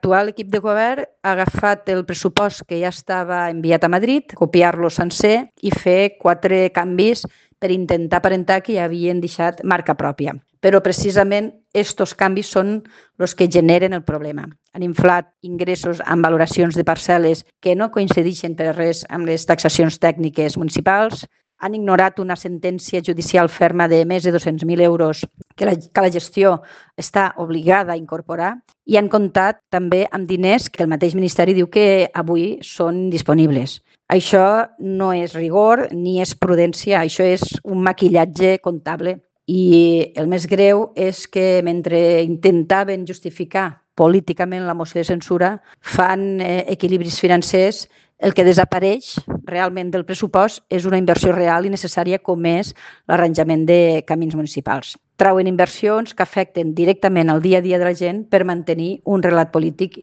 L'actual equip de govern ha agafat el pressupost que ja estava enviat a Madrid, copiar-lo sencer i fer 4 canvis per intentar aparentar que ja havien deixat marca pròpia. Però precisament aquests canvis són els que generen el problema. Han inflat ingressos amb valoracions de parcel·les que no coincideixen per res amb les taxacions tècniques municipals, han ignorat una sentència judicial ferma de més de 200.000 euros que la gestió està obligada a incorporar i han comptat també amb diners que el mateix Ministeri diu que avui són disponibles. Això no és rigor ni és prudència, això és un maquillatge comptable. I el més greu és que mentre intentaven justificar políticament la moció de censura, fan equilibris financers. El que desapareix realment del pressupost és una inversió real i necessària com és l'arranjament de camins municipals. Trauen inversions que afecten directament al dia a dia de la gent per mantenir un relat polític